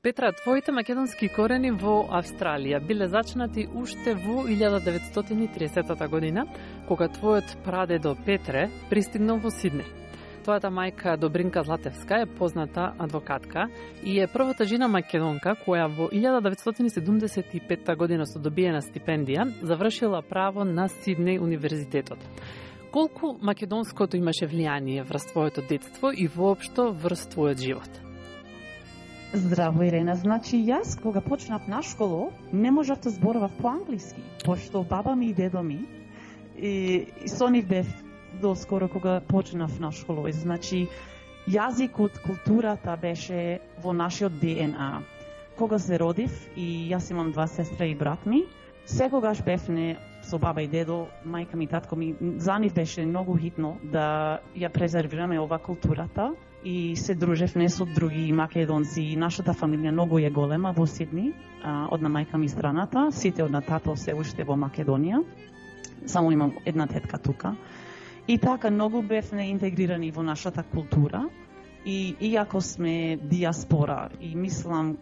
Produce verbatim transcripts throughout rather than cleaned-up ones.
Петра, твоите македонски корени во Австралија биле зачнати уште во илјада деветстотини и тридесета година, кога твојот прадедо Петре пристигнал во Сиднеј. Твојата мајка Добринка Златевска е позната адвокатка и е првата жена македонка која во илјада деветстотини седумдесет и петта година со добиена стипендија завршила право на Сиднеј универзитетот. Колку македонското имаше влијание врз твоето детство и воопшто врз твојот живот? Здраво, Ирена. Значи, јас, кога почнав на школо, не можев да зборував по-англиски, пошто баба ми и дедо ми, и, и со нив бев доскоро кога почнав на школо. Значи, јазикот, културата беше во нашиот Д Н А. Кога се родив, и јас имам два сестра и брат ми, секогаш бевне со баба и дедо, мајка ми, татко ми, за нив беше многу хитно да ја презервираме ова културата, и се дружевме со други македонци. Нашата фамилија многу е голема во Сидни, од на мајка ми страната, сите од на тато се уште во Македонија. Само имам една тетка тука. И така многу бевме интегрирани во нашата култура. И иако сме диаспора и мислам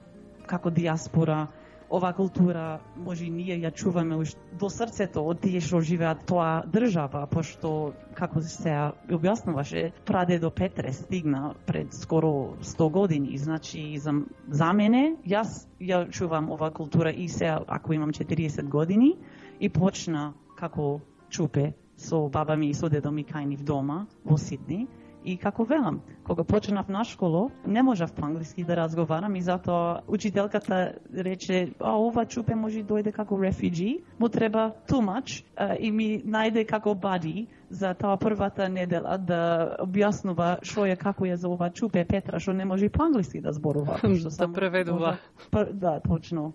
како диаспора, ова култура може и ние ја чуваме до срцето од тие што живеат тоа држава, пошто, како се објаснуваше, прадедо Петре стигна пред скоро сто години. Значи, за, за мене, јас ја чувам ова култура и се, ако имам четириесет години, и почна како чупе со баба ми и со дедо ми кај нив дома во Сидни. И како велам, кога почнав на школо, не можев по-англиски да разговарам и затоа учителката рече, а ова чупе може дојде како refugee, му треба too much, а, и ми најде како buddy за таа првата недела да објаснува што е, како е за ова чупе Петра, што не може по-англиски да зборува. Да преведува. Може... Да, точно.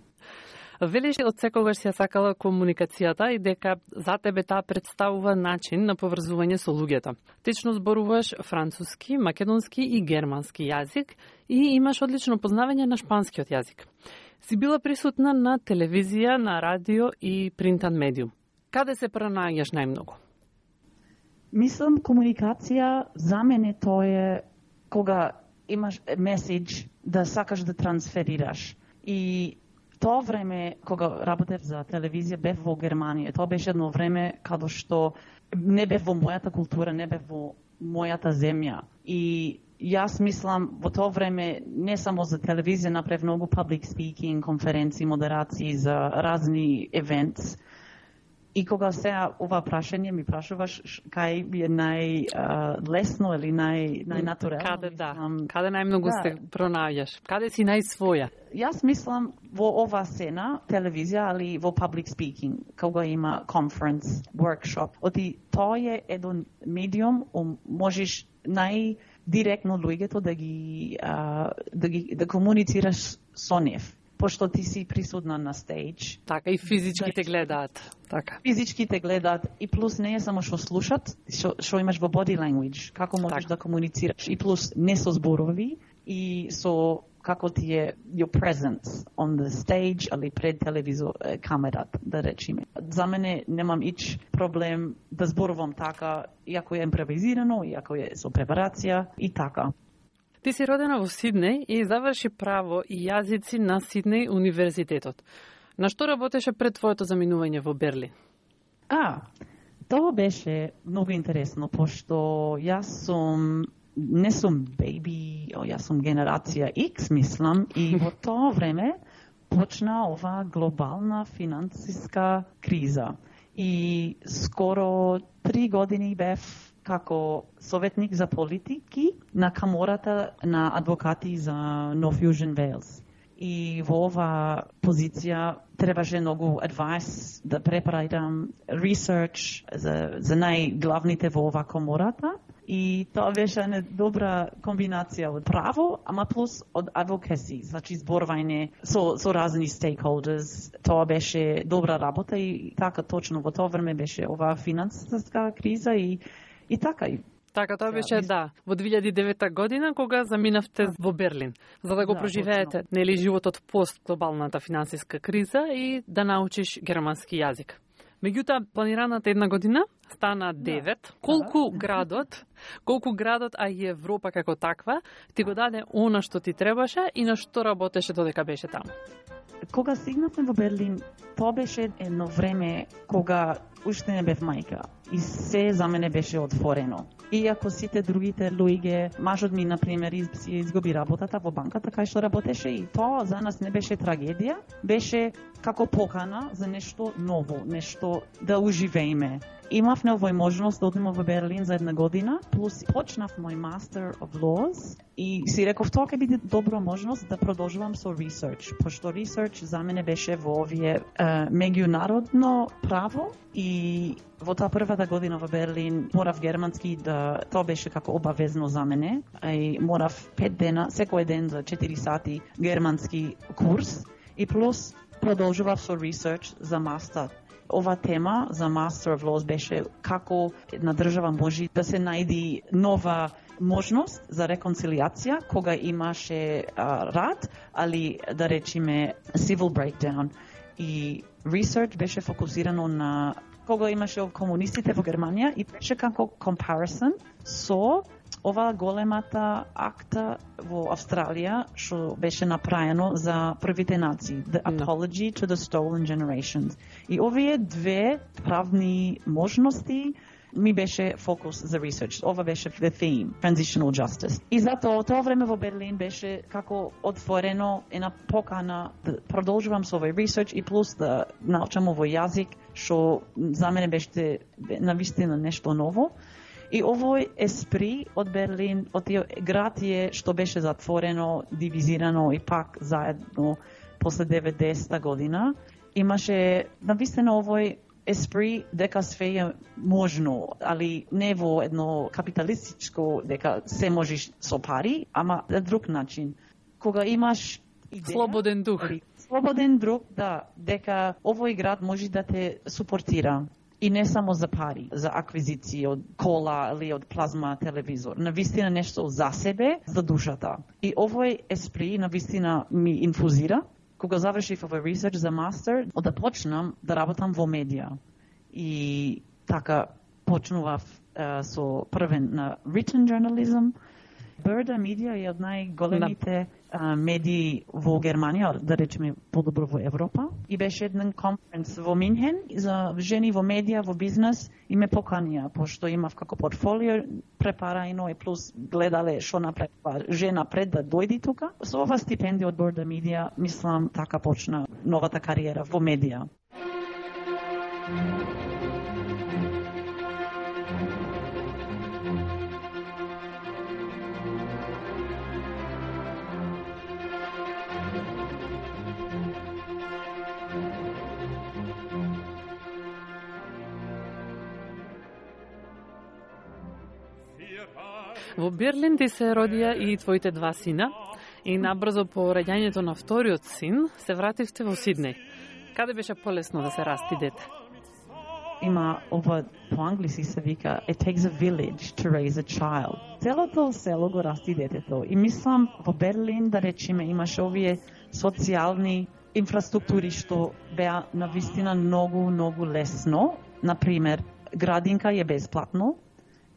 Велиш од секогаш си ја сакала комуникацијата и дека за тебе таа представува начин на поврзување со луѓето. Течно зборуваш француски, македонски и германски јазик и имаш одлично познавање на шпанскиот јазик. Си била присутна на телевизија, на радио и принтан медиум. Каде се пронаѓаш најмногу? Мислам, комуникација за мене тоа е кога имаш меседж да сакаш да трансферираш. И тоа време, кога работев за телевизија, бев во Германија. Тоа беше едно време каде што не бев во мојата култура, не бев во мојата земја. И јас мислам, во тоа време, не само за телевизија, направив многу public speaking, конференции, модерации за разни events. И кога сега ова прашање ми прашуваш кај ми е најлесно или нај, најнатурално? Каде, да. Каде најмногу да. Се пронаѓаш? Каде си најсвоја? Јас мислам во ова сцена, телевизија, али во public speaking, кога има conference, workshop. Оти тоа е еден медиум, можеш најдиректно луѓето да ги, да ги да комуницираш со нив. Пошто ти си присутна на стејдж. Така, и физички те гледаат. Така. Физички те гледаат и плюс не е само што слушат, што, што имаш во body language, како можеш така да комуницираш. И плюс не со зборови, и со како ти е your presence on the stage, али пред телевизор, камерата, да речеме. За мене немам ич проблем да зборувам така, иако е импровизирано, иако е со препарација и така. Ти си родена во Сиднеј и заврши право и јазици на Сиднеј универзитетот. На што работеше пред твоето заминување во Берлин? А, тоа беше многу интересно, пошто јас сум, не сум беби, јас сум генерација X, мислам, и во тоа време почна ова глобална финансиска криза. И скоро три години бев како советник за политики на камората на адвокати за North Fusion Wales. И во ова позиција требаше многу advice да препарам research за, за најглавните во ова комората. И тоа беше една добра комбинација од право, ама плюс од advocacy, значи зборување со, со разни stakeholders. Тоа беше добра работа и така точно во тоа време беше ова финансиска криза и И така и Така, тоа беше, да, во две илјади и девета година, кога заминавте во Берлин, за да го да, проживеете, точно. Нели, животот пост глобалната финансиска криза и да научиш германски јазик. Меѓутоа, планираната една година стана девет. Колку градот, колку градот, а и Европа како таква, ти го даде она што ти требаше и на што работеше додека беше таму? Кога стигнавме во Берлин, тоа беше едно време кога уште не бев мајка и се за мене беше отворено. Иако сите другите луѓе, мажот ми, например, си изгуби работата во банката кај што работеше, и тоа за нас не беше трагедија, беше како покана за нешто ново, нешто да уживееме. Имавме овој можност да одиме во Берлин за една година, плюс почнав мој Master of Laws и си реков тоа ќе биде добра можност да продолжувам со research, пошто research за мене беше во овие uh, меѓународно право и во таа првата година во Берлин морав германски да тоа беше како обавезно за мене, и морав пет дена, секој ден за четири сати германски курс и плюс продолжував со research за мастер. Ова тема за Master of Laws беше како една држава може да се најди нова можност за реконцилијација кога имаше а, рад, али да речеме civil breakdown. И research беше фокусирано на кога имаше комунистите во Германија и беше како comparison со ова големата акта во Австралија што беше направено за првите нации, The Apology to the Stolen Generations. И овие две правни можности ми беше фокус за research. Ова беше the theme, transitional justice. И затоа тоа време во Берлин беше како отворено една покана да продолжувам со овој research и плюс да научам овој јазик што за мене беше навистина нешто ново. И овој еспри од Берлин, од тие град е што беше затворено, дивизирано и пак заедно после деветдесета година, имаше навистина овој еспри дека све е можно, али не во едно капиталистичко дека се можеш со пари, ама на друг начин. Кога имаш идеја, слободен дух. Слободен дух, да, дека овој град може да те супортира. И не само за пари, за аквизиција од кола или од плазма телевизор. Навистина нешто за себе, за душата. И овој еспри навистина ми инфузира. Кога завршив овој research за мастер, да почнам да работам во медија. И така почнував uh, со првен на written journalism. Burda Media е од најголемите uh, медии во Германија, да речеме подобро во Европа. И беше еден конференц во Минхен за жени во медија, во бизнес, и ме поканија, пошто имав како портфолио препарајно и плюс гледале што направила жена пред да дојди тука. Со ова стипендија од Burda Media, мислам, така почна новата кариера во медија. Во Берлин ти се родија и твоите два сина, и набрзо по раѓањето на вториот син се вративте во Сиднеј. Каде беше полесно да се расти дете? Има ова по англиски се вика it takes a village to raise a child. Целото село го расти детето. И мислам во Берлин, да речеме, имаше овие социјални инфраструктури што беа навистина многу, многу лесно. Например, градинка е бесплатно.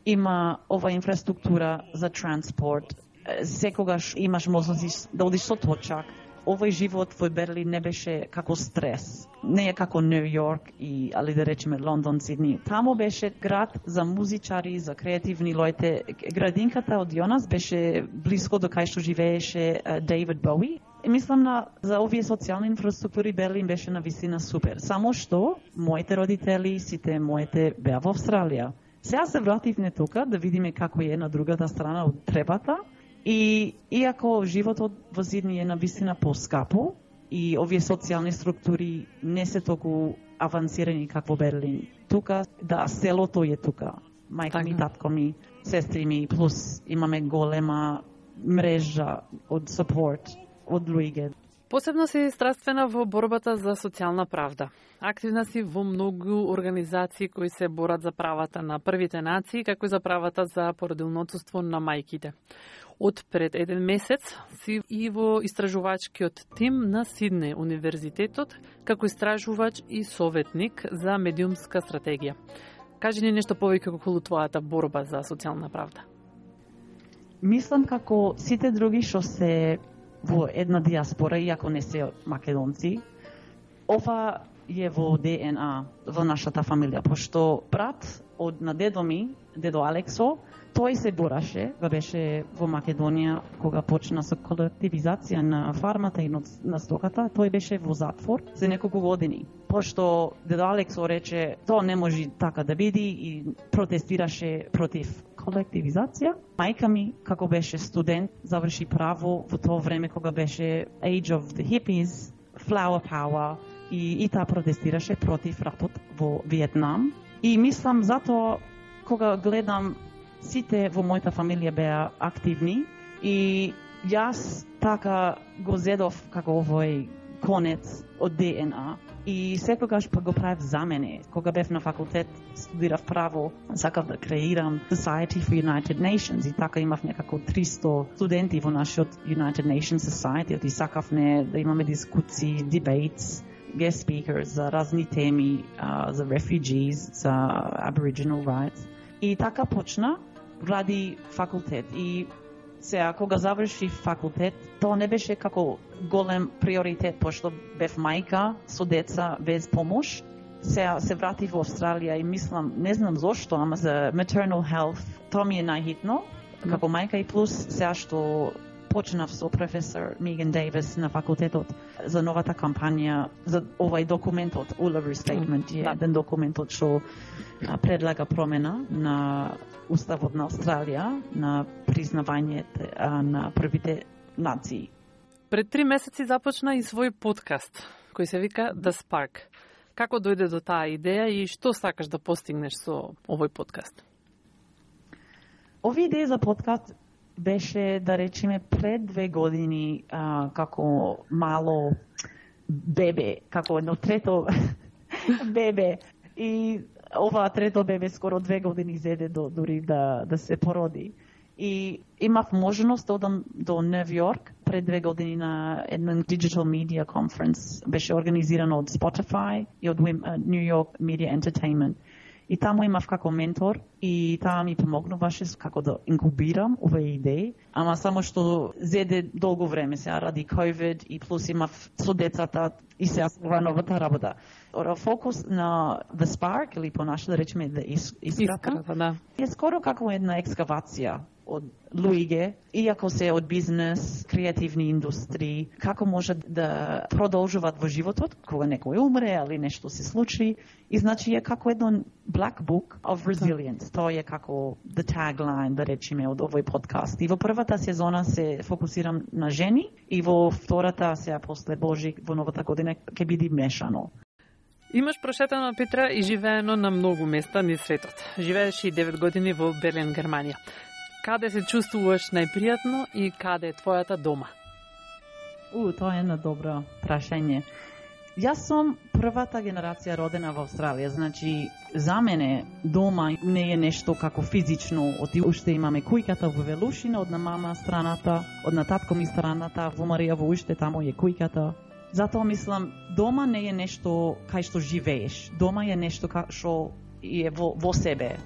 Има ова инфраструктура за транспорт. Секогаш имаш можност да одиш со точак. Овој живот во Берлин не беше како стрес. Не е како Нью Йорк и, али да речеме, Лондон, Сидни. Тамо беше град за музичари, за креативни луѓе. Градинката од Јонас беше близко до кај што живееше Дейвид Боуи. И мислам на за овие социјални инфраструктури Берлин беше навистина супер. Само што моите родители, сите моите беа во Австралија. Сега се вративме тука да видиме како е на другата страна од требата. И иако животот во Сидни е навистина поскапо и овие социјални структури не се толку авансирани како Берлин. Тука, да, селото е тука. Мајка ми, татко ми, сестри ми, плюс имаме голема мрежа од сапорт од луѓе. Посебно си страствена во борбата за социјална правда. Активна си во многу организации кои се борат за правата на првите нации, како и за правата за породилно отсуство на мајките. Од пред еден месец си и во истражувачкиот тим на Сиднеј универзитетот како истражувач и советник за медиумска стратегија. Кажи ни нешто повеќе околу твојата борба за социјална правда. Мислам како сите други што се во една диаспора, иако не се македонци, ова е во Д Н А во нашата фамилија, пошто брат од на дедо ми, дедо Алексо, тој се бораше, га беше во Македонија кога почна со колективизација на фармата и на стоката, тој беше во затвор за неколку години. Пошто дедо Алексо рече, тоа не може така да биде и протестираше против колективизација. Мајка ми, како беше студент, заврши право во тоа време кога беше Age of the Hippies, Flower Power, и, и таа протестираше против ратот во Виетнам. И мислам затоа кога гледам сите во мојата фамилија беа активни и јас така го зедов како овој конец од Д Н А и секогаш па го правев за мене. Кога бев на факултет, студирав право, сакав да креирам Society for United Nations и така имав некако триста студенти во нашиот United Nations Society и сакавме да имаме дискусии, debates, guest speakers за разни теми, uh, за refugees, за Aboriginal rights. И така почна ради факултет. И сега, кога заврши факултет, тоа не беше како голем приоритет, пошто бев мајка со деца без помош. Сега се врати во Австралија и мислам, не знам зошто, ама за maternal health, тоа ми е најхитно, како мајка и плюс сега што почнав со професор Меган Дейвис на факултетот за новата кампања, за овај документот, Uluru Statement, е еден документот што предлага промена на Уставот на Австралија, на признавањето на првите нации. Пред три месеци започна и свој подкаст, кој се вика The Spark. Како дојде до таа идеја и што сакаш да постигнеш со овој подкаст? Овие идеја за подкаст беше, да речеме, пред две години а, како мало бебе, како едно трето бебе. И ова трето бебе скоро две години зеде до, дури да, да се породи. И имав можност да одам до Нов Йорк пред две години на еден Digital Media Conference. Беше организирано од Spotify и од New York Media Entertainment. И таму имав како ментор и таа ми помогнуваше како да инкубирам овие идеи, ама само што зеде долго време сега ради COVID и плюс имав со децата и сега ова новата работа. Ора фокус на The Spark или понаше да речеме The Искрата, Искрата, да. Е скоро како една екскавација од луѓе, иако се од бизнес, креативни индустрии, како може да продолжуваат во животот кога некој умре или нешто се случи. И значи е како едно black book of resilience. Тоа е како the tagline, да речеме, од овој подкаст. И во првата сезона се фокусирам на жени и во втората, сега после Божик, во новата година ќе биде мешано. Имаш прошетано, Петра, и живеено на многу места низ светот. Живееш и девет години во Берлин, Германија. Каде се чувствуваш најпријатно и каде е твојата дома? У, тоа е едно добро прашање. Јас сум првата генерација родена во Австралија, значи за мене дома не е нешто како физично, оти уште имаме кујката во Велушина, од на мама страната, од на татко ми страната, во Марија во уште тамо е кујката. Затоа мислам, дома не е нешто кај што живееш, дома е нешто што е во, во себе.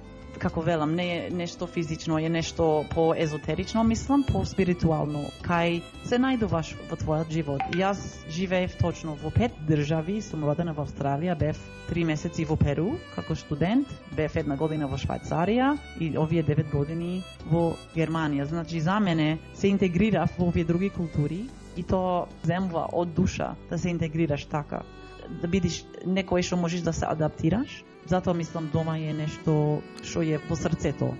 Како велам, не е нешто физично, е нешто по-езотерично, мислам, по-спиритуално, кај се најдуваш во твојот живот. Јас живеев точно во пет држави, сум родена во Австралија, бев три месеци во Перу, како студент, бев една година во Швајцарија и овие девет години во Германија. Значи, за мене се интегрирав во овие други култури и тоа земва од душа да се интегрираш така, да бидеш некој што можеш да се адаптираш. Затоа мислам дома е нешто што е во срцето.